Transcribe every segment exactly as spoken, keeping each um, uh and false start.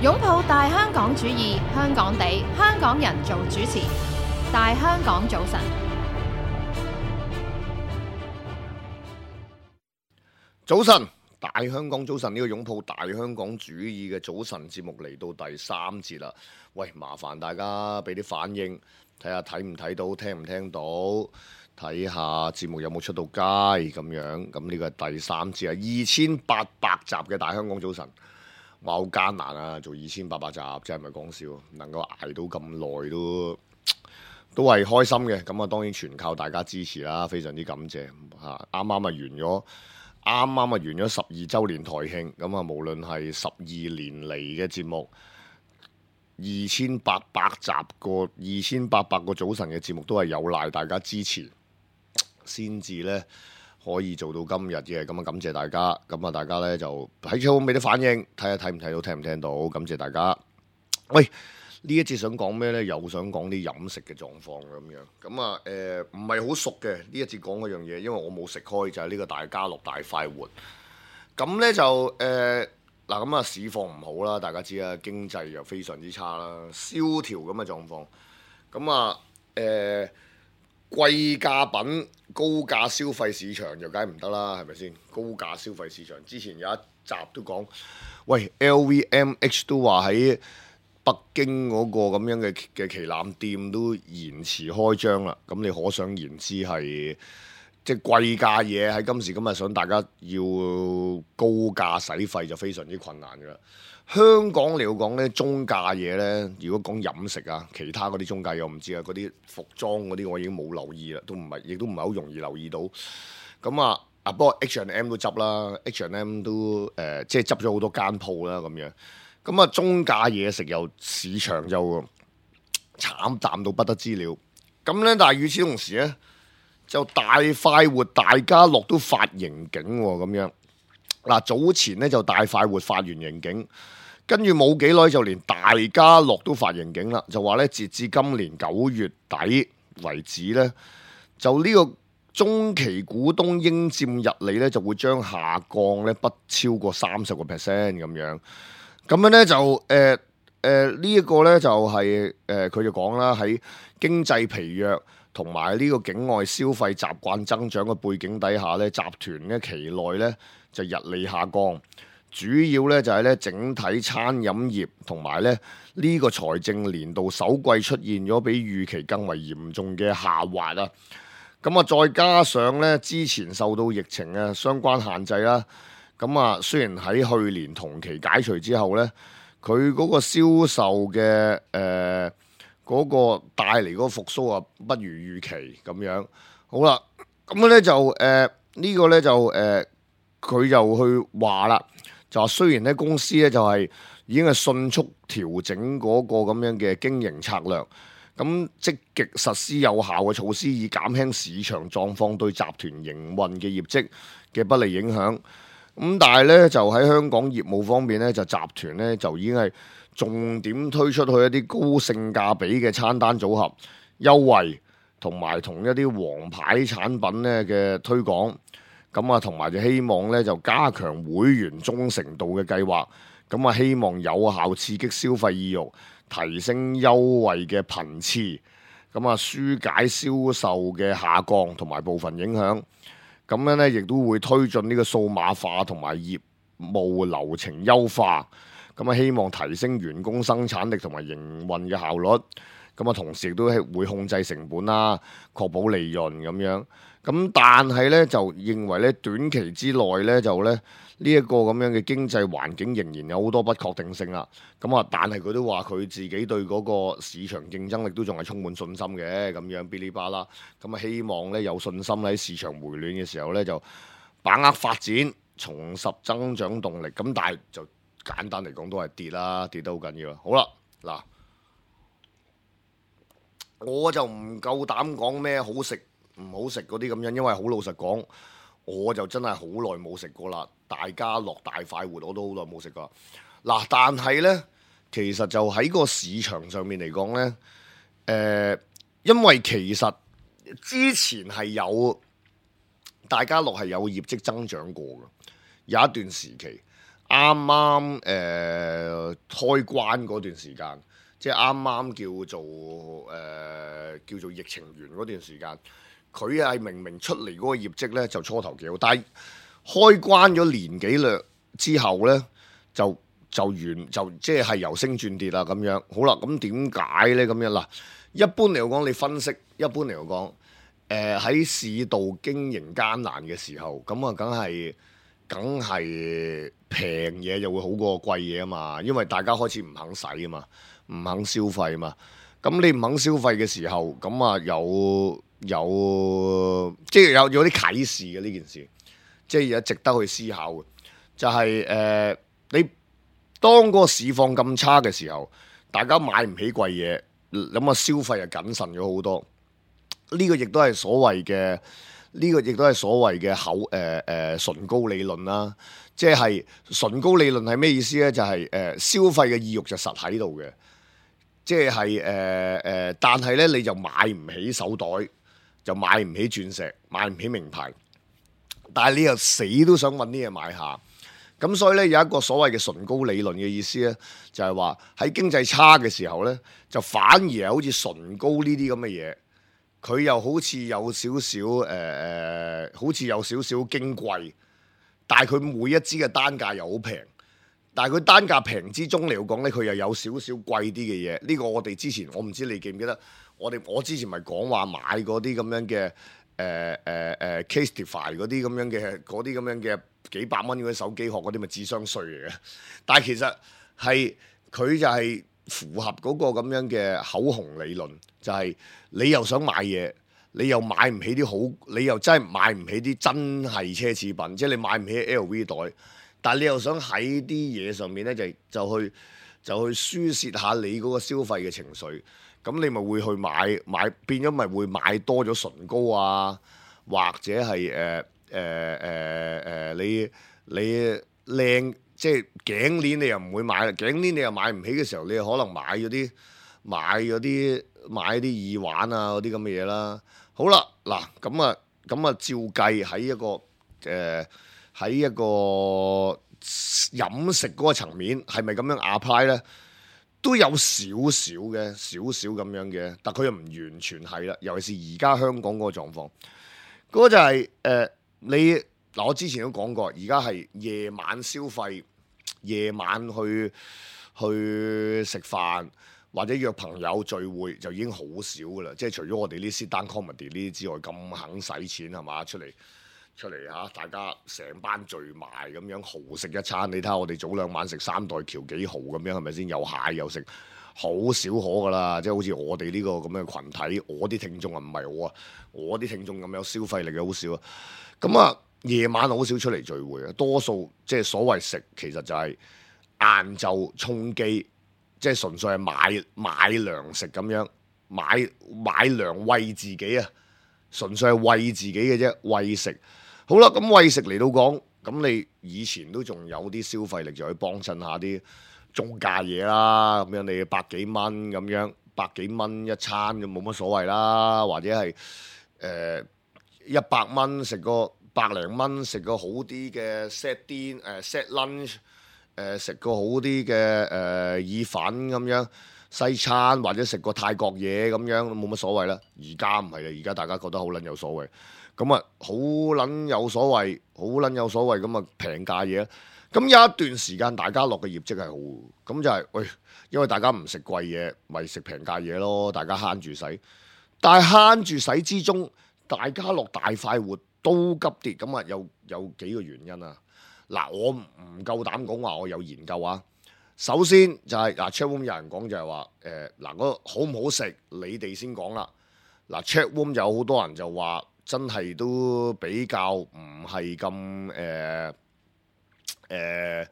擁抱大香港主義，香港地，香港人做主持。大香港早晨，早晨，大香港早晨，呢個擁抱大香港主義嘅早晨節目嚟到第三節啦。喂，麻煩大家俾啲反應，睇下睇唔睇到，聽唔聽到，睇下節目有冇出到街咁樣。咁呢個係第三節啊，二千八百集嘅大香港早晨。話好艱難啊，做二千八百集真係唔係講笑，能夠捱到咁耐都都係開心嘅。咁啊，當然全靠大家支持啦，非常之感謝嚇。啱啱啊完咗，啱啱啊完咗十二週年台慶。咁啊，無論係十二年嚟嘅節目，二千八百集個二千八百個早晨嘅節目，都係有賴大家支持先至呢。可以做到今日嘅。咁啊，感謝大家。咁啊，大家呢就喺窗俾啲反應，睇下睇唔睇到，聽唔聽到。感謝大家。喂，呢一節想講咩呢？又想講啲飲食嘅狀況咁樣。咁啊，誒唔係好熟嘅呢一節講嗰樣嘢，因為我冇食開，就係、是、呢個大家樂大快活。咁呢就誒嗱，咁啊市況唔好啦，大家知啦，經濟又非常之差啦，蕭條咁嘅狀況。咁啊誒。呃貴價品、高價消費市場就梗係唔得啦，係咪先？高價消費市場之前有一集都講，喂 L V M H 都話喺北京嗰個咁樣嘅嘅旗艦店都延遲開張啦。咁你可想而知係即係貴價嘢喺今時今日想大家要高價使費就非常之困難㗎啦。香港嚟講咧，中價嘢咧，如果講飲食啊，其他嗰啲中價嘢我唔知啊，嗰啲服裝嗰啲我已經冇留意啦，都唔係，亦都唔係好容易留意到。咁啊啊，不過 H and M 都執啦 ，H and M 都誒、呃，即係執咗好多間鋪啦咁樣。咁啊，中價嘢食又市場就慘淡到不得之了。咁咧，但係與此同時咧，就大快活、大家樂都發盈警喎，咁樣。嗱，早前咧就大快活發完盈警。跟住冇幾耐就連大家樂都發盈警啦，就話咧截至今年九月底為止咧，就呢個中期股東應佔溢利咧就會將下降咧不超過三十個 percent 咁樣。咁樣咧就誒誒呢一個咧就係誒佢就講啦，喺經濟疲弱同埋呢個境外消費習慣增長嘅背景底下咧，集團咧期內咧就溢利下降。主要咧就係咧整體餐飲業同埋咧呢個財政年度首季出現咗比預期更為嚴重嘅下滑啊！咁啊，再加上咧之前受到疫情嘅相關限制啦，咁啊雖然喺去年同期解除之後咧，佢嗰個銷售嘅誒嗰個帶嚟嗰個復甦啊，不如預期咁樣。好啦，咁咧就誒、呃這個、呢個咧就誒佢、呃、就去話啦。就話雖然咧公司咧就係已經係迅速調整嗰個咁樣嘅經營策略，咁積極實施有效嘅措施，以減輕市場狀況對集團營運嘅業績嘅不利影響。咁但係咧就喺香港業務方面咧，就集團咧就已經係重點推出去一啲高性價比嘅餐單組合優惠，同埋同一啲王牌產品咧嘅推廣。咁啊，同埋就希望咧就加強會員忠誠度嘅計劃，咁啊希望有效刺激消費意欲，提升優惠嘅頻次，咁啊紓解銷售嘅下降同埋部分影響。咁樣咧亦都會推進呢個數碼化同埋業務流程優化，咁啊希望提升員工生產力同埋營運嘅效率。咁啊同時亦都係會控制成本啦，確保利潤咁樣。咁但係咧就認為咧短期之內咧就咧呢一個咁樣嘅經濟環境仍然有好多不確定性啦。咁啊，但係佢都話佢自己對嗰個市場競爭力都仲係充滿信心嘅咁樣，嗶哩吧啦。咁啊，希望咧有信心喺市場回暖嘅時候咧就把握發展，重拾增長動力。咁但係就簡單嚟講都係跌啦，跌得好緊要啦。好啦，嗱，我就唔夠膽講咩好食唔好食嗰啲咁樣，因為好老實講，我就真係好耐冇食過啦。大家樂大快活我都好耐冇食過。嗱，但係呢，其實就喺個市場上面嚟講呢，誒、呃，因為其實之前係有大家樂係有業績增長過嘅，有一段時期啱啱誒開關嗰段時間，即係啱啱叫做誒、呃、叫做疫情完嗰段時間，佢係明明出嚟嗰個業績咧就初頭幾好，但係開關咗年幾兩之後咧就就完就即係由升轉跌啦咁樣。好啦，咁點解咧咁樣嗱？一般嚟講，你分析一般嚟講，誒喺市道經營艱難嘅時候，咁啊梗係梗係平嘢就會好過貴嘢啊嘛，因為大家開始唔肯使啊嘛，唔肯消費啊嘛。咁你唔肯消費嘅時候，咁啊有有即係有有啲啟示嘅呢件事，即係有值得去思考嘅，就係、係、誒、呃、你當個市況咁差嘅時候，大家買唔起貴嘢。咁啊，消費又謹慎咗好多，呢、這個亦都係所謂嘅，呢、這個亦都係所謂嘅口誒誒、呃呃、唇膏理論啦。即係唇膏理論係咩意思咧？就係、是、誒、呃、消費嘅意欲就實喺度嘅，即係誒誒，但係咧你就買唔起手袋，就買唔起鑽石，買唔起名牌，但係你又死都想揾啲嘢買下。咁所以咧有一個所謂嘅唇膏理論嘅意思咧，就係話喺經濟差嘅時候咧，就反而係好似唇膏呢啲咁嘅嘢，佢又好似有少少誒誒，好似有少少矜貴，但係佢每一支嘅單價又好平，但係佢單價平之中嚟講咧，佢又有少少貴啲嘅嘢。呢、這個我哋之前我唔知你記唔記得，我哋我之前咪講話買嗰啲咁樣嘅誒誒誒 Casetify 嗰啲咁樣嘅嗰啲咁樣嘅。幾百蚊嗰啲手機殼嗰啲咪智商稅嚟嘅，但係其實係佢就係符合嗰個咁樣嘅口紅理論，就係、是、你又想買嘢，你又買唔起啲好，你又真係買唔起啲真係奢侈品，即係你買唔起 L V 袋，但係你又想喺啲嘢上面咧就就去就去輸泄下你嗰個消費嘅情緒，咁你咪會去買買變咗咪會買多咗唇膏啊，或者係誒。呃誒誒誒，你你靚即係頸鏈，你又唔會買啦。頸鏈你又買唔起嘅時候，你又可能買咗啲買咗啲買啲耳環啊嗰啲咁嘅嘢啦。好啦，嗱咁啊咁啊，照計喺一個誒喺、呃、一個飲食嗰個層面，係咪咁樣 apply 咧？都有少少嘅，少少咁樣嘅，但佢又唔完全係啦。尤其是而家香港嗰個狀況，嗰、嗰個就係、係、誒。呃你嗱，我之前都講過，而家係夜晚消費，夜晚去去食飯或者約朋友聚會就已經好少噶啦。即係除咗我哋呢啲 stand comedy 呢啲之外，咁肯使錢係嘛？出嚟出嚟嚇，大家成班聚埋咁樣豪食一餐。你睇下我哋早兩晚食三代橋幾豪咁樣，係咪先？有蟹又食，好少可噶啦。即係好似我哋呢個咁嘅群體，我啲聽眾啊唔係我啊，我啲聽眾咁有消費力嘅好少啊。咁啊，夜晚好少出嚟聚會啊，多數即係所謂食，其實就係晏晝充飢，即係純粹係買買糧食咁樣，買買糧餵自己啊，純粹係餵自己嘅啫，餵食。好啦，咁餵食嚟到講，咁你以前都仲有啲消費力，就去幫襯下啲中價嘢啦，咁樣你百幾蚊咁樣，百幾蚊一餐就冇乜所謂啦，或者係誒。呃一百蚊食個百零蚊食個好啲嘅 set din 誒 set lunch 誒食個好啲嘅誒意粉咁樣西餐，或者食個泰國嘢咁樣冇乜所謂啦。而家唔係啦，而家大家覺得好撚有所謂，咁啊好撚有所謂，好撚有所謂咁啊平價嘢。咁有一段時間大家樂嘅業績係好，咁就係、是、喂，因為大家唔食貴嘢，咪食平價嘢咯，大家慳住使，但係慳住使之中。大家樂大快活都急跌，咁啊有有幾個原因啊？嗱，我唔夠膽講話我有研究啊。首先就係、是、嗱 ，chatroom 有人講就係話誒嗱，嗰個好唔好食，你哋先講啦。嗱 chatroom 有好多人就話真係都比較唔係咁誒誒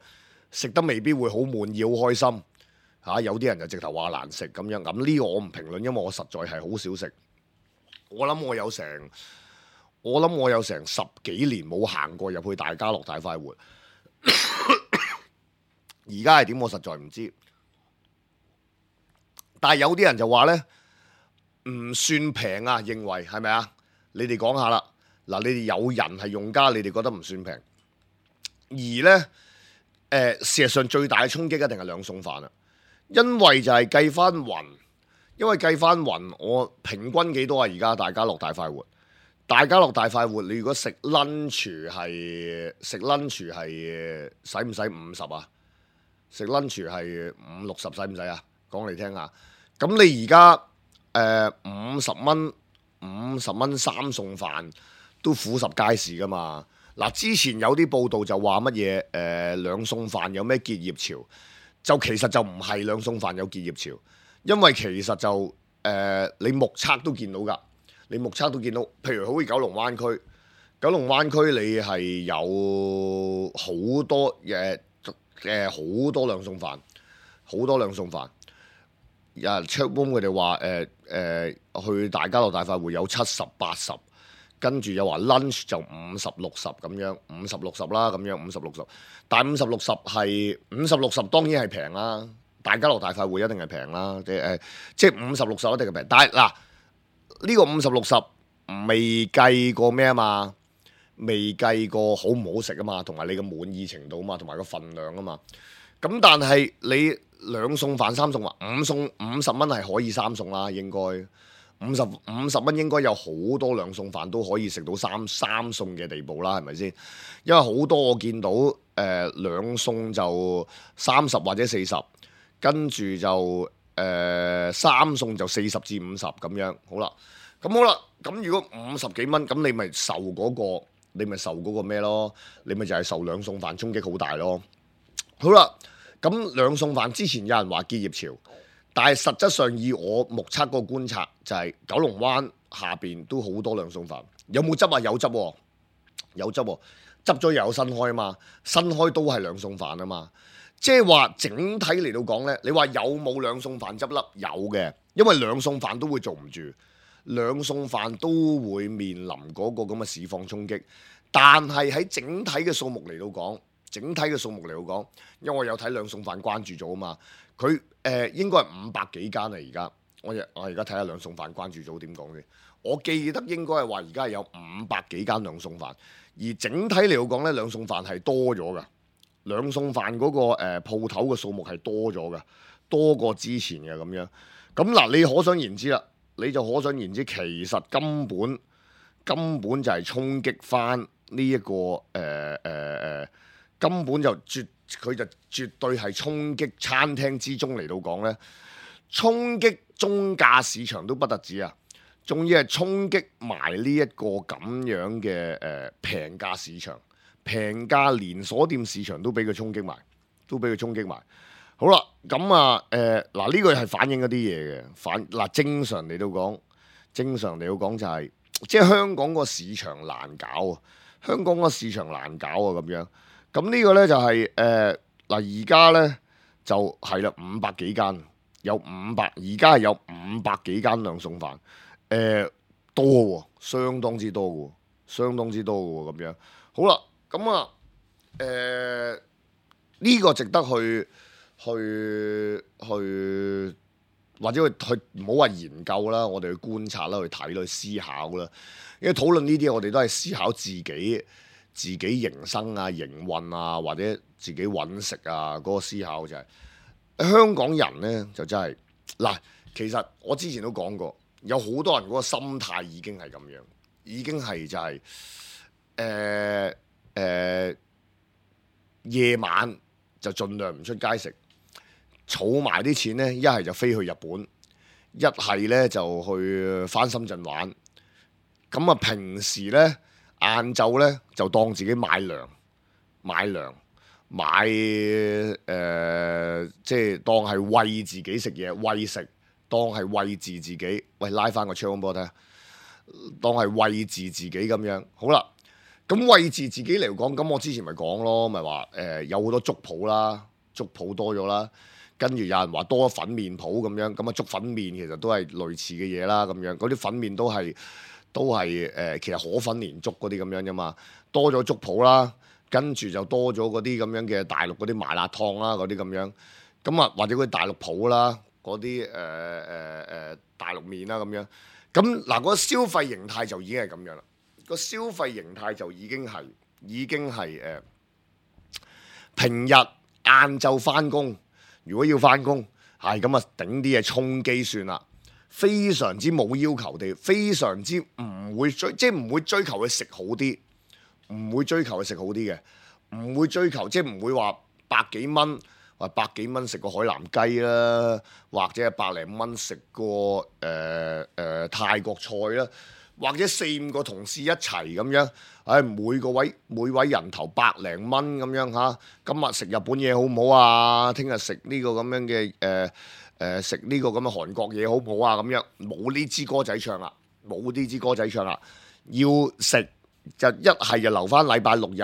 食得未必會好滿意，好開心嚇、啊。有啲人就直頭話難食咁樣，咁呢個我唔評論，因為我實在係好少食。我諗我有成，我諗我有成十幾年冇行過入去大家樂大快活。而家係點？我實在唔知。但係有啲人就話呢，唔算平啊，認為係咪啊？你哋講下啦。嗱，你哋有人係用家，你哋覺得唔算平。而呢，誒、呃、事實上最大嘅衝擊一定係兩餸飯啦，因為就係計翻勻，因為計翻勻，我平均幾多啊？而家大家樂大快活，大家樂大快活，你如果食 lunch 係食 lunch 係使唔使五十啊？食 lunch 係五六十使唔使啊？講嚟聽下。咁你而家誒五十蚊五十蚊三餸飯都俯拾皆是噶嘛？嗱，之前有啲報道就話乜嘢誒兩餸飯有咩結業潮，就其實就唔係兩餸飯有結業潮，因為其實就誒、呃、你目測都見到㗎，你目測都見到，譬如好似九龍灣區，九龍灣區你係有好多誒誒好多兩餸飯，好多兩餸飯。有人 check room 佢哋話誒誒去大家樂大快活有七十八十，跟住又話 lunch 就五十六十咁樣，五十六十啦咁樣，五十六十，但係五十六十係五十六十當然係平啦，大家樂大快活一定係平啦，即係誒即係五十六十一定係平，但係嗱呢個五十六十未計過咩啊嘛，未計過好唔好食啊嘛，同埋你嘅滿意程度啊嘛，同埋個份量啊嘛，咁但係你。兩餸飯三餸話五餸五十蚊係可以三餸啦，應該五十五十蚊應該有好多兩餸飯都可以食到三三餸嘅地步啦，係咪先？因為好多我見到誒、呃、兩餸就三十或者四十，跟住就誒、呃、三餸就四十至五十咁樣。好啦，咁好啦，咁如果五十幾蚊，咁你咪受嗰、嗰個，你咪受嗰個咩咯？你咪就係受兩餸飯衝擊好大咯。好啦。咁兩餸飯之前有人話結業潮，但係實質上以我目測個觀察，就係九龍灣下邊都好多兩餸飯。有冇執啊？有執喎，有執喎，執咗又有新開啊嘛，新開都係兩餸飯啊嘛。即係話整體嚟到講呢，你話有冇兩餸飯執笠？有嘅，因為兩餸飯都會做唔住，兩餸飯都會面臨嗰個咁嘅市況衝擊。但係喺整體嘅數目嚟到講，整體嘅數目嚟到講，因為我有睇兩餸飯關注組啊嘛，佢誒、呃、應該係五百幾間啊而家，我我而家睇下兩餸飯關注組點講先。我記得應該係話而家係有五百幾間兩餸飯，而整體嚟到講咧，兩餸飯係多咗㗎。兩餸飯嗰個誒鋪頭嘅數目係多咗㗎，多過之前嘅咁樣。咁嗱，你可想而知啦，你就可想而知，其實根本根本就係衝擊翻呢一個誒誒誒。呃呃根本就絕，佢就絕對係衝擊餐廳之中嚟到講呢，衝擊中價市場都不特止啊，仲要係衝擊埋呢一個咁樣嘅誒平價市場，平價連鎖店市場都俾佢衝擊埋，都俾佢衝擊埋。好啦，咁啊誒嗱呢個係反映一啲嘢嘅，反嗱、呃、正常嚟到講，正常嚟到講就係、是、即係香港個市場難搞啊，香港個市場難搞啊咁樣。咁呢個呢，就係誒嗱，而家呢，就係啦，五百幾間有五百，而家係有五百幾間兩餸飯，誒、呃、多喎，相當之多嘅，相當之多嘅咁樣。好啦，咁啊誒呢個值得去去去或者去去唔好話研究啦，我哋去觀察啦，去睇啦，去思考啦。因為討論呢啲，我哋都係思考自己。自己營生啊、營運啊，或者自己揾食啊，嗰、那個思考就係、是、香港人呢，就真係嗱，其實我之前都講過，有好多人嗰個心態已經係咁樣，已經係就係誒誒夜晚就盡量唔出街食，儲埋啲錢呢，一係就飛去日本，一係呢就去返深圳玩，咁啊平時呢。晏晝咧就當自己買糧買糧買誒、呃，即係當係餵自己食嘢餵食，當係餵飼自己。喂，拉翻個槍俾我睇下，當係餵飼自己咁樣。好啦，咁餵飼自己嚟講，咁我之前咪講咯，咪話誒有好多粥鋪啦，粥鋪多咗啦，跟住有人話多粉麵鋪咁樣，咁啊粥粉麵其實都係類似嘅嘢啦，咁樣嗰啲粉麵都係。都係誒、呃，其實河粉連粥嗰啲咁樣啫嘛，多咗粥鋪啦，跟住就多咗嗰啲咁樣嘅大陸嗰啲麻辣燙啦，嗰啲咁樣，咁啊或者嗰啲大陸鋪啦，嗰啲誒誒誒大陸麵啦咁樣，咁嗱嗰個消費形態就已經係咁樣啦，個消費形態就已經係已經係誒、呃、平日晏晝翻工，如果要翻工，係咁啊，頂啲嘢充機算啦。非常之冇要求地，非常之唔會追，即係唔會追求佢食好啲，唔會追求佢食好啲嘅，唔會追求即係唔會話百幾蚊，話百幾蚊食個海南雞啦，或者係百零蚊食個誒誒泰國菜啦。或者四五個同事一齊咁樣，唉、哎，每個位每位人頭百零蚊咁樣嚇。今日食日本嘢好唔好啊？聽日食呢個咁樣嘅誒誒食呢個咁嘅韓國嘢好唔好啊？咁樣冇呢支歌仔唱啦，冇呢支歌仔唱啦。要食就一係就留翻禮拜六日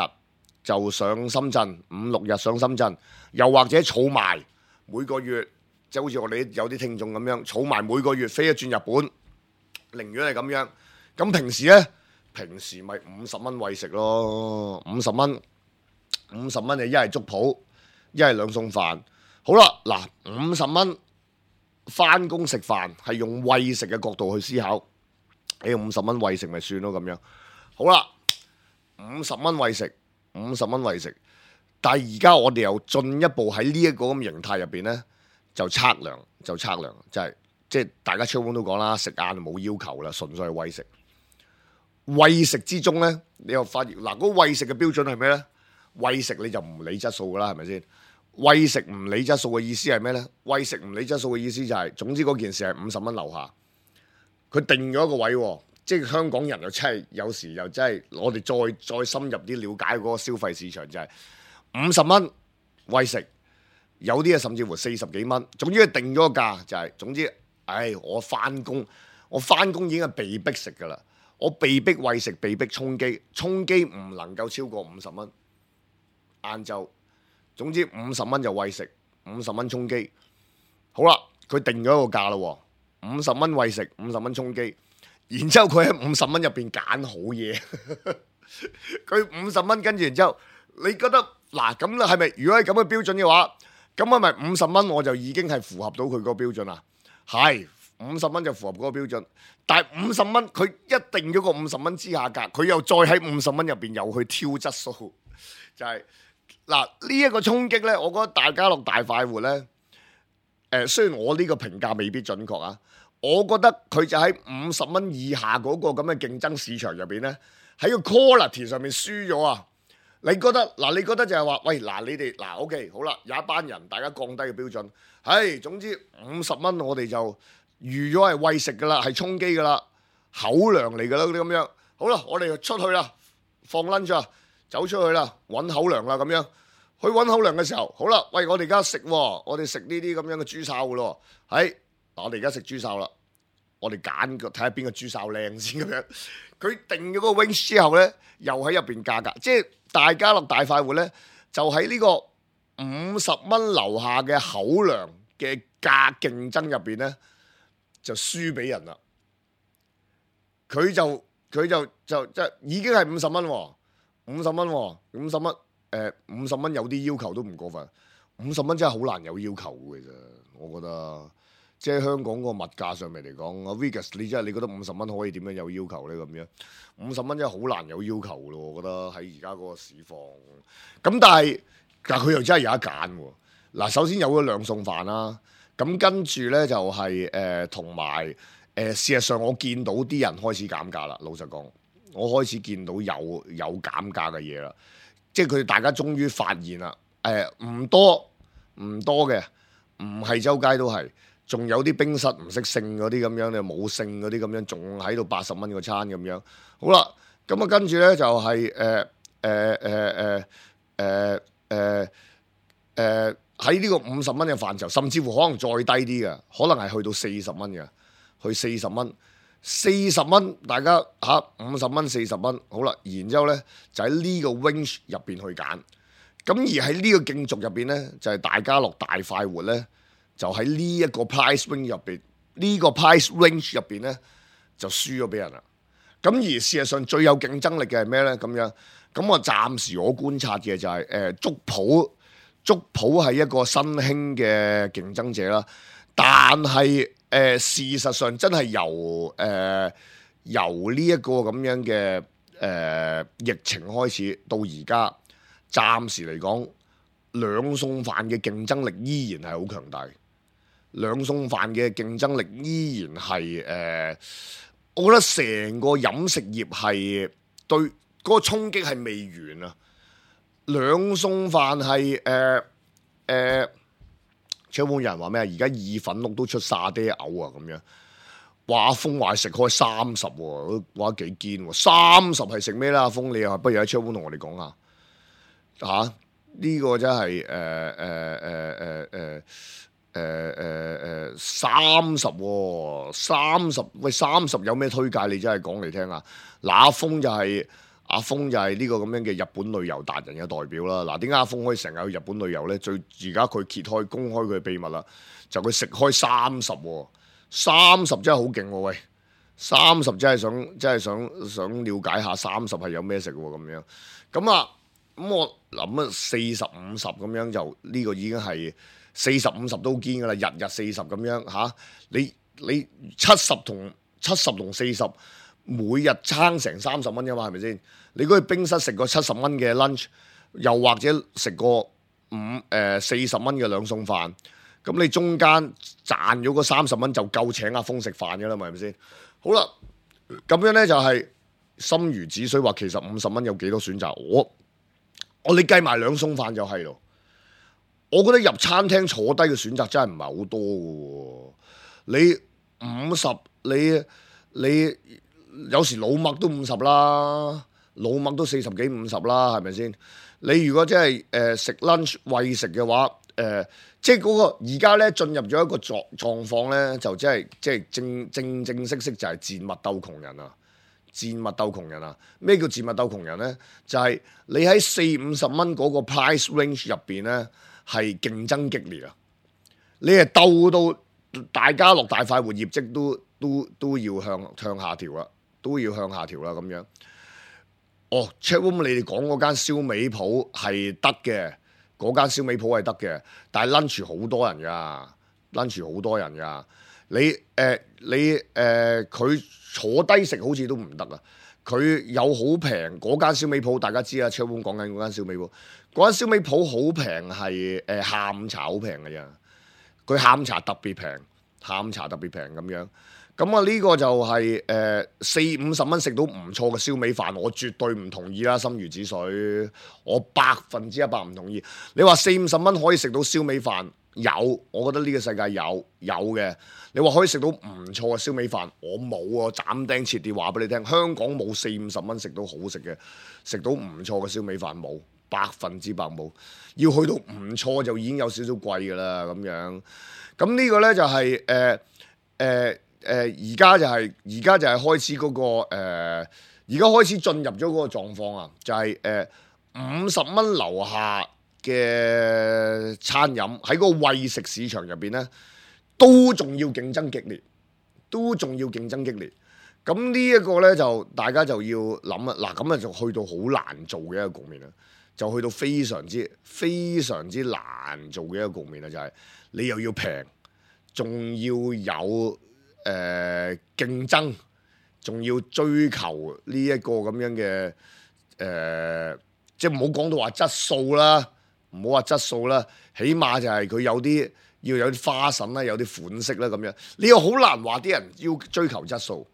就上深圳，五六日上深圳，又或者儲埋每個月，即係好似我哋有啲聽眾咁樣，儲埋每個月飛一轉日本，寧願係咁樣。咁平時呢，平時咪五十蚊餵食咯，五十蚊，五十蚊你一係粥鋪，一係兩餸飯。好啦，嗱，五十蚊翻工食飯係用餵食嘅角度去思考，你用五十蚊餵食咪算咯咁樣。好啦，五十蚊餵食，五十蚊餵食，但係而家我哋又進一步喺呢一個咁形態入邊呢，就測量，就測量，就係即係大家出門都講啦，食晏冇要求啦，純粹係餵食。餵食之中呢，你又發現嗱，嗰餵食嘅標準係咩呢？餵食你就唔理質素噶啦，係咪先？餵食唔理質素嘅意思係咩呢？餵食唔理質素嘅意思就係、是，總之嗰件事係五十蚊樓下，佢定咗一個位，即係香港人又真係有時又真係，我哋再再深入啲了解嗰個消費市場就係五十蚊餵食，有啲啊甚至乎四十幾蚊，總之佢定咗個價就係、是，總之，唉，我翻工，我翻工已經係被逼食噶啦。我被逼餵食，被逼充機，充機唔能夠超過五十蚊。晏晝，總之五十蚊就餵食，五十蚊充機。好啦，佢定咗一個價啦，五十蚊餵食，五十蚊充機。然之後佢喺五十蚊入邊揀好嘢，佢五十蚊跟住，然之後你覺得嗱咁啦，係咪？如果係咁嘅標準嘅話，咁係咪五十蚊我就已經係符合到佢個標準啦？係。五十蚊就符合嗰個標準，但係五十蚊佢一定咗個五十蚊之下價，佢又再喺五十蚊入邊又去挑質素，就係嗱呢一個衝擊呢，我覺得大家樂大快活呢，誒、呃、雖然我呢個評價未必準確啊，我覺得佢就喺五十蚊以下嗰個咁嘅競爭市場入邊呢，喺個 quality 上面輸咗啊！你覺得嗱？你覺得就係話，喂嗱，你哋嗱 OK 好啦，有一班人大家降低嘅標準，係總之五十蚊我哋就預咗係餵食噶啦，係充飢噶啦，口糧嚟噶啦嗰啲咁樣。好啦，我哋就出去啦，放 lunch 啊，走出去啦，揾口糧啦咁樣。去揾口糧嘅時候，好啦，喂，我哋而家食，我哋食呢啲咁樣嘅豬哨噶咯。係，我哋而家食豬哨啦，我哋揀個睇下邊個豬哨靚先咁樣。佢定咗個 range 之後咧，又喺入邊價格，即係大家樂大快活咧，就喺呢個五十蚊樓下嘅口糧嘅價競爭入邊咧。就輸俾人啦，佢就佢就就即係已經係五十蚊，五十蚊，五十蚊，誒五十蚊有啲要求都唔過分，五十蚊真係好難有要求嘅啫，我覺得，即係香港個物價上面嚟講，阿 Vegas 你真係你覺得五十蚊可以點樣有要求咧咁樣？五十蚊真係好難有要求咯，我覺得喺而家嗰個市況，咁但係但係佢又真係有得揀喎，嗱首先有咗兩餸飯啦。咁跟住呢，就係誒同埋誒事實上我見到啲人開始減價啦。老實講，我開始見到有有減價嘅嘢啦，即係佢大家終於發現啦。誒、呃、唔多唔多嘅，唔係周街都係，仲有啲冰室唔識姓嗰啲咁樣，你冇姓嗰啲咁樣，仲喺度八十蚊個餐咁樣。好啦，咁啊跟住呢，就係誒誒誒誒誒誒誒。喺呢個五十蚊嘅範疇，甚至乎可能再低啲嘅，可能係去到四十蚊嘅，去四十蚊，四十蚊，大家嚇五十蚊、四十蚊，好啦，然之後呢，就喺呢個 range 入邊去揀，咁而喺呢個競逐入邊呢，就係、是、大家樂大快活呢，就喺呢一個 price range 入邊，呢、這個 price range 入邊呢，就輸咗俾人啦。咁而事實上最有競爭力嘅係咩呢？咁樣，咁我暫時我觀察嘅就係誒粥鋪。粥鋪係一個新興嘅競爭者啦，但係誒、呃、事實上真係由誒、呃、由呢一個咁樣嘅誒、呃、疫情開始到而家，暫時嚟講兩餸飯嘅競爭力依然係好強大，兩餸飯嘅競爭力依然係誒、呃，我覺得成個飲食業係對嗰、嗰個衝擊係未完啊！兩餸飯係誒誒，有冇人話咩啊？而家意粉碌都出沙爹牛啊咁樣，話阿峰話食開三十喎，話幾堅喎，三十係食咩啦？阿峰你又不如喺窗戶同我哋講下嚇。啊呢個真係誒誒誒誒誒誒誒誒三十喎，三十喂三十有咩推介？你真係講嚟聽下。嗱，阿峰就係阿峰就係呢個咁樣嘅日本旅遊達人嘅代表啦。嗱，點解阿峰可以成日去日本旅遊咧？最而家佢揭開公開佢嘅秘密啦，就佢食開三十喎，三十真係好勁喎！喂，三十真係想真係想想了解下三十係有咩食喎咁樣。咁啊〜咁我諗啊，四十五十咁樣就呢、呢個已經係四十五十都堅噶啦，日日四十咁樣嚇、啊。你你七十同七十同四十，每日撐成三十蚊噶嘛，係咪先？你如果去冰室食個七十蚊嘅 lunch，又或者食個五誒四十蚊嘅兩餸飯，咁你中間賺咗嗰三十蚊就夠請阿峰食飯噶啦嘛，係咪先？好啦，咁樣咧就係心如止水話，其實五十蚊有幾多選擇？我我你計埋兩餸飯就係咯，我覺得入餐廳坐低嘅選擇真係唔係好多嘅喎。你五十，你你有時老麥都五十啦，老麥都四十幾五十啦，係咪先？你如果真係誒食 lunch 餵食嘅話，誒、呃、即係嗰個而家咧進入咗一個狀狀況咧，就真係即係正正正式式就係賤物鬥窮人啊！賤物鬥窮人啊！咩叫賤物鬥窮人呢？就係、是、你喺四五十蚊嗰個 price range 入邊呢，係競爭激烈啊！你係鬥到大家樂大快活業績都都都要向向下調啦，都要向下調啦咁樣。哦 Chatroom 你哋講嗰間燒味鋪係得嘅，嗰間燒味鋪係得嘅，但係 lunch 好多人㗎 ，lunch 好多人㗎。你誒、呃、你誒佢。呃坐低食好似都唔得啊！佢有好平嗰間燒味鋪，大家知啊。超碗講緊嗰間燒味鋪，嗰間燒味鋪好平，係誒下午茶好平嘅啫。佢下午茶特別平，下午茶特別平咁樣。咁啊呢個就係誒四五十蚊食到唔錯嘅燒味飯，我絕對唔同意啦。心如止水，我百分之一百唔同意。你話四五十蚊可以食到燒味飯？有，我覺得呢個世界有有嘅。你話可以食到唔錯嘅燒味飯，我冇啊！斬釘截鐵話俾你聽，香港冇四五十蚊食到好食嘅，食到唔錯嘅燒味飯冇，百分之百冇。要去到唔錯就已經有少少貴㗎啦咁樣。咁呢個呢，就係誒誒誒，而家就係而家就係開始嗰個誒，而家開始進入咗嗰個狀況啊，就係誒五十蚊樓下嘅餐飲喺嗰個餵食市場入邊呢，都仲要競爭激烈，都仲要競爭激烈。咁呢一個呢，就大家就要諗啊，嗱咁啊就去到好難做嘅一個局面啦，就去到非常之非常之難做嘅一個局面啦，就係、是、你又要平，仲要有誒、呃、競爭，仲要追求呢一個咁樣嘅誒、呃，即係唔好講到話質素啦。唔好話質素啦，起碼就係佢有啲要有啲花臣啦，有啲款式啦咁樣。你又好難話啲人要追求質素，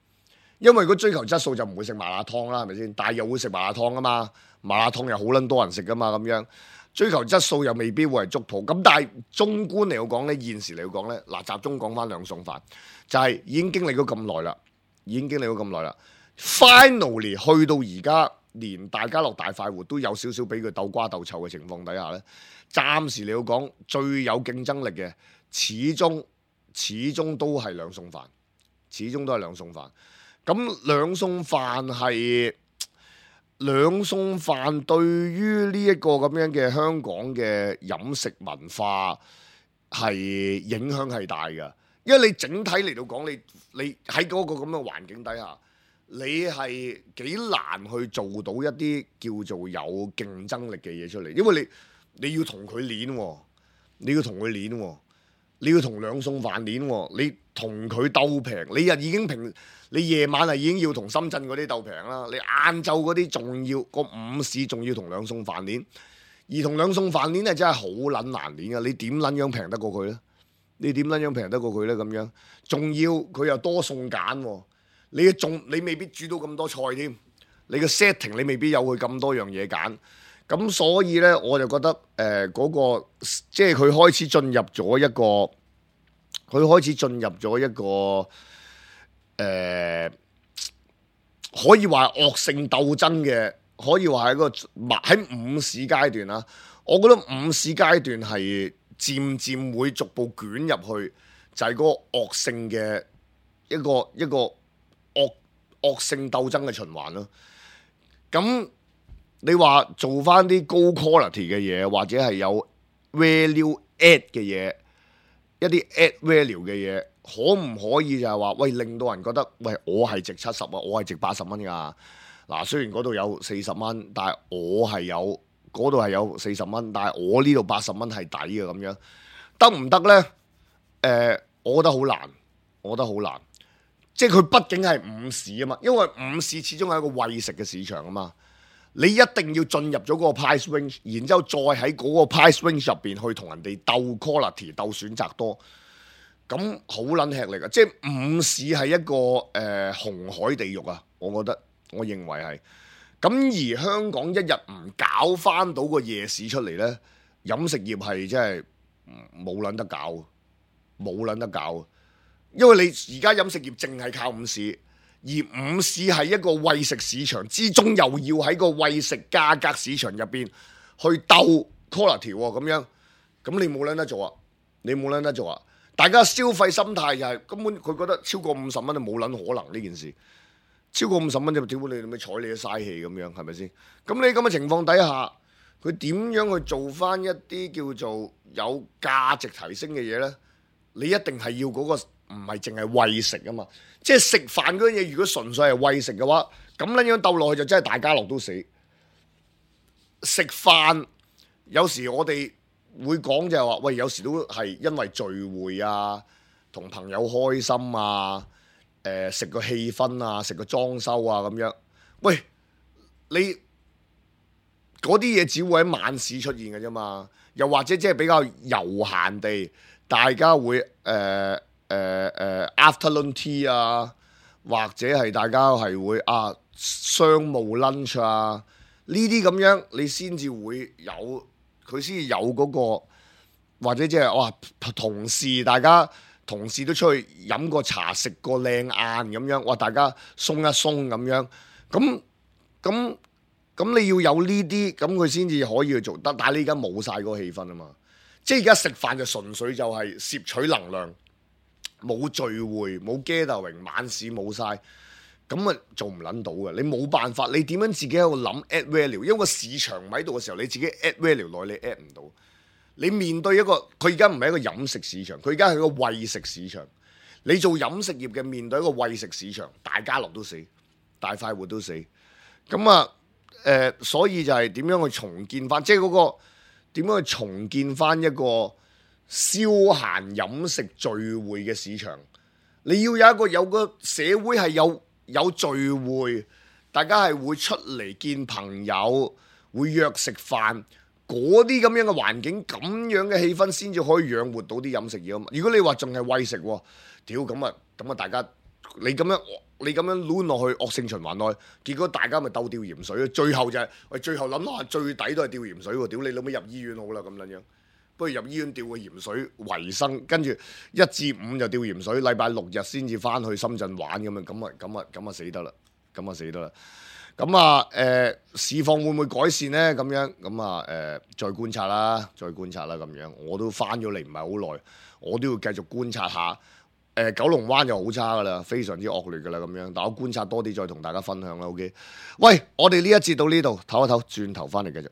因為如果追求質素就唔會食麻辣燙啦，係咪先？但係又會食麻辣燙啊嘛，麻辣燙又好撚多人食噶嘛咁樣。追求質素又未必會係族譜。咁但係綜觀嚟講咧，現時嚟講咧，嗱集中講翻兩餸飯，就係、是、已經經歷咗咁耐啦，已經經歷咗咁耐啦。Finally 去到而家。連大家樂大快活都有少少俾佢鬥瓜鬥臭嘅情況底下呢，暫時你要講最有競爭力嘅，始終始終都係兩餸飯，始終都係兩餸飯。咁兩餸飯係兩餸飯對於呢一個咁樣嘅香港嘅飲食文化係影響係大㗎，因為你整體嚟到講，你你喺嗰個咁嘅環境底下。你係幾難去做到一啲叫做有競爭力嘅嘢出嚟，因為你你要同佢練喎，你要同佢練喎，你要同兩餸飯練喎，你同佢鬥平，你日已經平，你夜晚係已經要同深圳嗰啲鬥平啦，你晏晝嗰啲仲要個午市仲要同兩餸飯練，兒童兩餸飯鏈係真係好撚難鏈㗎，你點撚樣平得過佢咧？你點撚樣平得過佢咧？咁樣仲要佢又多餸揀喎，你仲你未必煮到咁多菜添，你個 setting 你未必有佢咁多樣嘢揀。咁所以咧，我就覺得誒嗰、呃嗰個即係佢開始進入咗一個，佢開始進入咗一個誒、呃，可以話惡性鬥爭嘅，可以話係一個喺午市階段啦。我覺得午市階段係漸漸會逐步捲入去，就係、係、嗰個惡性嘅一個一個惡惡性鬥爭嘅循環咯。咁你話做翻啲高 quality 嘅嘢，或者係有 value add 嘅嘢，一啲 add value 嘅嘢，可唔可以就係話，喂，令到人覺得，喂，我係值七十啊，我係值八十蚊㗎。嗱，雖然嗰度有四十蚊，但係我係有嗰度係有四十蚊，但係我呢度八十蚊係抵嘅咁樣，得唔得呢？誒、呃，我覺得好難，我覺得好難。即係佢畢竟係午市啊嘛，因為午市始終係一個餵食嘅市場啊嘛。你一定要進入咗嗰個 price range，然之後再喺嗰個 price range 入邊去同人哋鬥 quality、鬥選擇多，咁好撚吃力啊！即係午市係一個誒、呃、紅海地獄啊！我覺得，我認為係。咁而香港一日唔搞翻到個夜市出嚟呢，飲食業係真係冇撚得搞，冇撚得搞。因為你而家飲食業淨係靠午市。而午市係一個餵食市場之中，又要喺個餵食價格市場入邊去鬥 quality 喎，咁樣，咁你冇撚得做啊！你冇撚得做啊！大家消費心態就係根本佢覺得超過五十蚊就冇撚可能呢件事，超過五十蚊就屌你咪睬你都嘥氣咁樣，係咪先？咁你咁嘅情況底下，佢點樣去做翻一啲叫做有價值提升嘅嘢呢？你一定係要嗰個。唔係淨係餵食啊嘛，即係食飯嗰樣嘢，如果純粹係餵食嘅話，咁樣樣鬥落去就真係大家樂都死。食飯有時我哋會講就係話，喂，有時都係因為聚會啊，同朋友開心啊，誒食個氣氛啊，食個裝修啊咁樣。喂，你嗰啲嘢只會喺晚市出現嘅啫嘛，又或者即係比較悠閒地，大家會誒。呃誒誒、uh, uh, afternoon tea 啊，或者係大家係會啊商務 lunch 啊，呢啲咁樣你先至會有，佢先至有嗰個，或者即係哇同事大家同事都出去飲個茶食個靚晏咁樣，哇大家鬆一鬆咁樣，咁咁咁你要有呢啲，咁佢先至可以去做得，但係你而家冇晒嗰個氣氛啊嘛，即係而家食飯就純粹就係攝取能量。冇聚會，冇 gathering，晚市冇晒，咁啊做唔撚到嘅。你冇辦法，你點樣自己喺度諗 add value？因為個市場唔喺度嘅時候，你自己 add value 內你 add 唔到。你面對一個，佢而家唔係一個飲食市場，佢而家係一個餵食市場。你做飲食業嘅面對一個餵食市場，大家樂都死，大快活都死。咁啊，誒、呃，所以就係點樣去重建翻，即係嗰個點樣去重建翻一個消閒飲食聚會嘅市場，你要有一個有個社會係有有聚會，大家係會出嚟見朋友，會約食飯，嗰啲咁樣嘅環境，咁樣嘅氣氛先至可以養活到啲飲食業啊嘛。如果你話仲係餵食，屌咁啊咁啊，大家你咁樣你咁樣攣落去惡性循環內，結果大家咪鬥吊鹽水，最後就係、是、喂最後諗下最底都係吊鹽水喎，屌你老味入醫院好啦咁樣樣。不如入醫院吊個鹽水維生，跟住一至五就吊鹽水，禮拜六日先至翻去深圳玩咁樣，咁啊咁啊咁啊死得啦，咁啊死得啦，咁啊誒市況會唔會改善呢？咁樣咁啊誒再觀察啦，再觀察啦咁樣，我都翻咗嚟唔係好耐，我都要繼續觀察下。誒、呃、九龍灣就好差噶啦，非常之惡劣噶啦咁樣，但我觀察多啲再同大家分享啦。OK，喂，我哋呢一節到呢度唞一唞，轉頭翻嚟繼續。